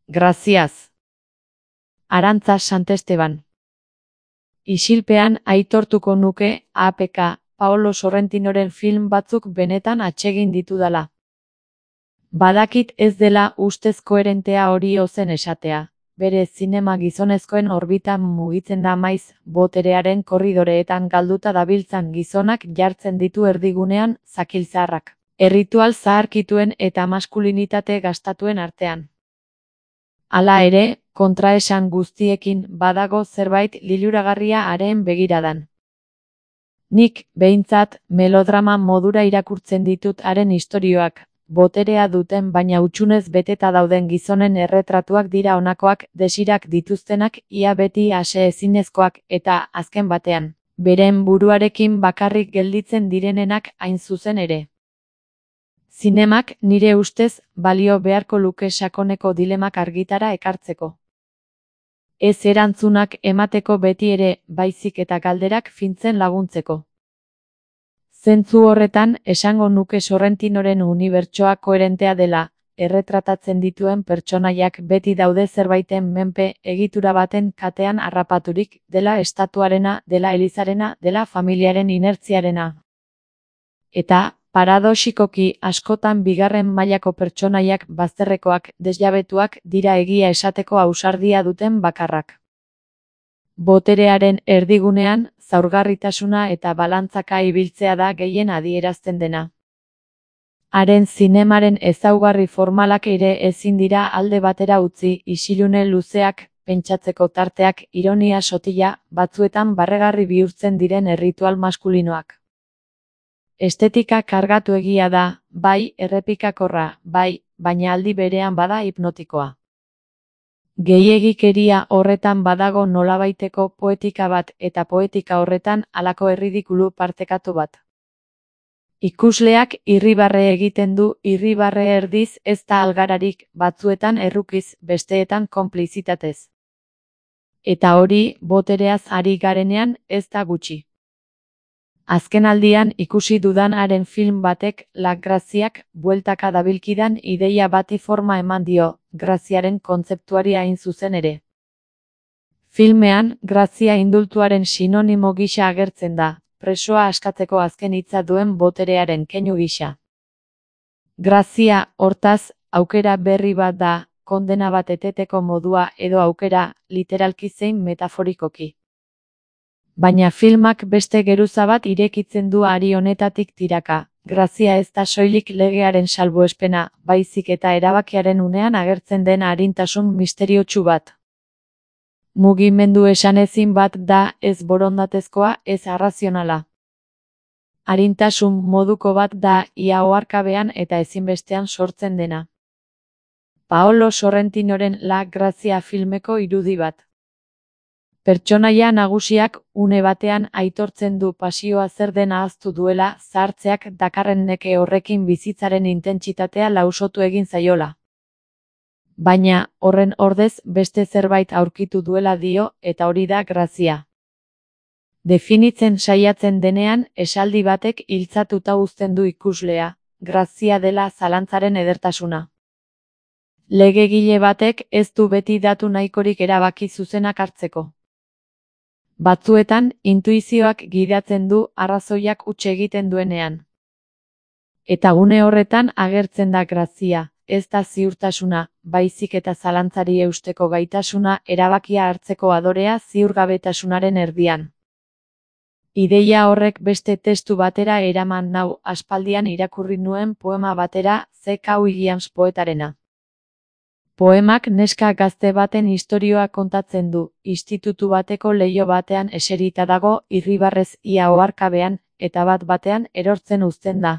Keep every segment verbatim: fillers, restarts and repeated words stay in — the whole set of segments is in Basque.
Graziaz. Arantza Santesteban. Isilpean aitortuko nuke A P K Paolo Sorrentinoren film batzuk benetan atsegin ditudala. Badakit ez dela ustez koherentea hori ozen esatea. Bere zinema gizonezkoen orbitan mugitzen da maiz, boterearen korridoreetan galduta dabiltzan gizonak jartzen ditu erdigunean zakilzarrak. Erritual zaharkituen eta maskulinitate gastatuen artean. Hala ere, kontraesan guztiekin badago zerbait liluragarria haren begiradan. Nik, behintzat, melodrama modura irakurtzen ditut haren istorioak, boterea duten baina hutsunez beteta dauden gizonen erretratuak dira honakoak, desirak dituztenak, ia beti ase ezinezkoak, eta, azken batean, beren buruarekin bakarrik gelditzen direnenak hain zuzen ere. Zinemak, nire ustez, balio beharko luke sakoneko dilemak argitara ekartzeko. Ez erantzunak emateko beti ere, baizik eta galderak fintzen laguntzeko. Zentzu horretan, esango nuke Sorrentinoren unibertsoa koherentea dela, erretratatzen dituen pertsonaiak beti daude zerbaiten menpe egitura baten katean harrapaturik, dela estatuarena, dela elizarena, dela familiaren inertziarena. Eta, paradoxikoki askotan bigarren mailako pertsonaiak bazterrekoak, desjabetuak dira egia esateko ausardia duten bakarrak. Boterearen erdigunean, zaurgarritasuna eta balantzaka ibiltzea da gehien adierazten dena. Haren zinemaren ezaugarri formalak ere ezin dira alde batera utzi, isilune luzeak, pentsatzeko tarteak, ironia sotila, batzuetan barregarri bihurtzen diren erritual maskulinoak. Estetika kargatu egia da, bai, errepikakorra, bai, baina aldi berean bada hipnotikoa. Gehiegikeria horretan badago nolabaiteko poetika bat eta poetika horretan halako erridikulu partekatu bat. Ikusleak irribarre egiten du, irribarre erdiz ez da algararik, batzuetan errukiz, besteetan konplizitatez. Eta hori, botereaz ari garenean, ez da gutxi. Azken aldian ikusi dudan haren film batek, La Graziak, bueltaka dabilkidan ideia bati forma eman dio, graziaren kontzeptuari hain zuzen ere. Filmean, grazia indultuaren sinonimo gisa agertzen da, presoa askatzeko azken hitza duen boterearen keinu gisa. Grazia, hortaz, aukera berri bat da, kondena bat eteteko modua edo aukera, literalki zein metaforikoki. Baina filmak beste geruza bat irekitzen du hari honetatik tiraka. Grazia ez da soilik legearen salbuespena, baizik eta erabakiaren unean agertzen den arintasun misteriotsu bat. Mugimendu esanezin bat da ez borondatezkoa, ez arrazionala. Arintasun moduko bat da ia oharkabean eta ezinbestean sortzen dena. Paolo Sorrentinoren La Grazia filmeko irudi bat. Pertsonaia nagusiak une batean aitortzen du pasioa zer den ahaztu duela, zahartzeak dakarren neke horrekin bizitzaren intentsitatea lausotu egin zaiola. Baina, horren ordez beste zerbait aurkitu duela dio, eta hori da grazia. Definitzen saiatzen denean, esaldi batek hiltzatuta uzten du ikuslea, grazia dela zalantzaren edertasuna. Legegile batek ez du beti datu nahikorik erabaki zuzenak hartzeko. Batzuetan, intuizioak gidatzen du arrazoiak huts egiten duenean. Eta gune horretan agertzen da grazia, ez da ziurtasuna, baizik eta zalantzari eusteko gaitasuna erabakia hartzeko adorea ziurgabetasunaren erdian. Ideia horrek beste testu batera eraman nau aspaldian irakurri nuen poema batera C K Williams poetarena. Poemak neska gazte baten istorioa kontatzen du, institutu bateko leiho batean eserita dago, irribarrez ia oharkabean, eta bat batean erortzen uzten da.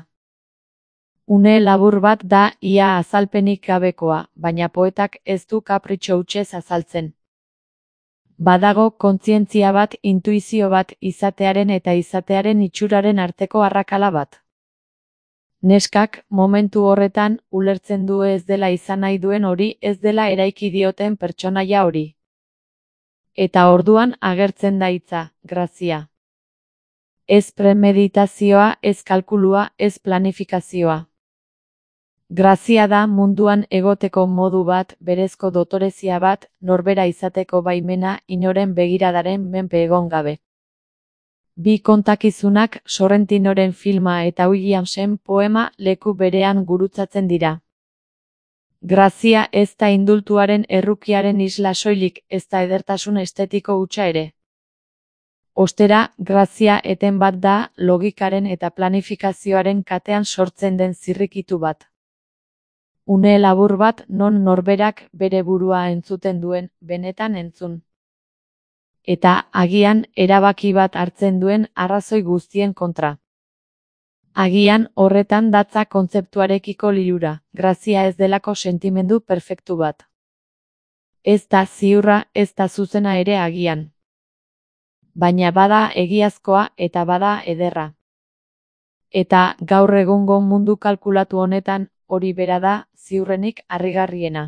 Une labur bat da ia azalpenik gabekoa, baina poetak ez du kapritxo hutsez azaltzen. Badago kontzientzia bat, intuizio bat, izatearen eta izatearen itxuraren arteko arrakala bat. Neskak, momentu horretan, ulertzen du ez dela izan nahi duen hori, ez dela eraiki dioten pertsonaia hori. Eta orduan agertzen da hitza, grazia. Ez premeditazioa, ez kalkulua, ez planifikazioa. Grazia da munduan egoteko modu bat, berezko dotorezia bat, norbera izateko baimena, inoren begiradaren menpe egon gabe. Bi kontakizunak, Sorrentinoren filma eta Williamsen poema leku berean gurutzatzen dira. Grazia ez da indultuaren errukiaren isla soilik, ez da edertasun estetiko hutsa ere. Ostera, grazia eten bat da, logikaren eta planifikazioaren katean sortzen den zirrikitu bat. Une labur bat non norberak bere burua entzuten duen, benetan entzun. Eta, agian, erabaki bat hartzen duen arrazoi guztien kontra. Agian, horretan datza kontzeptuarekiko lilura, grazia ez delako sentimendu perfektu bat. Ez da ziurra, ez da zuzena ere agian. Baina bada egiazkoa eta bada ederra. Eta, gaur egungo mundu kalkulatu honetan, hori bera da, ziurrenik harrigarriena.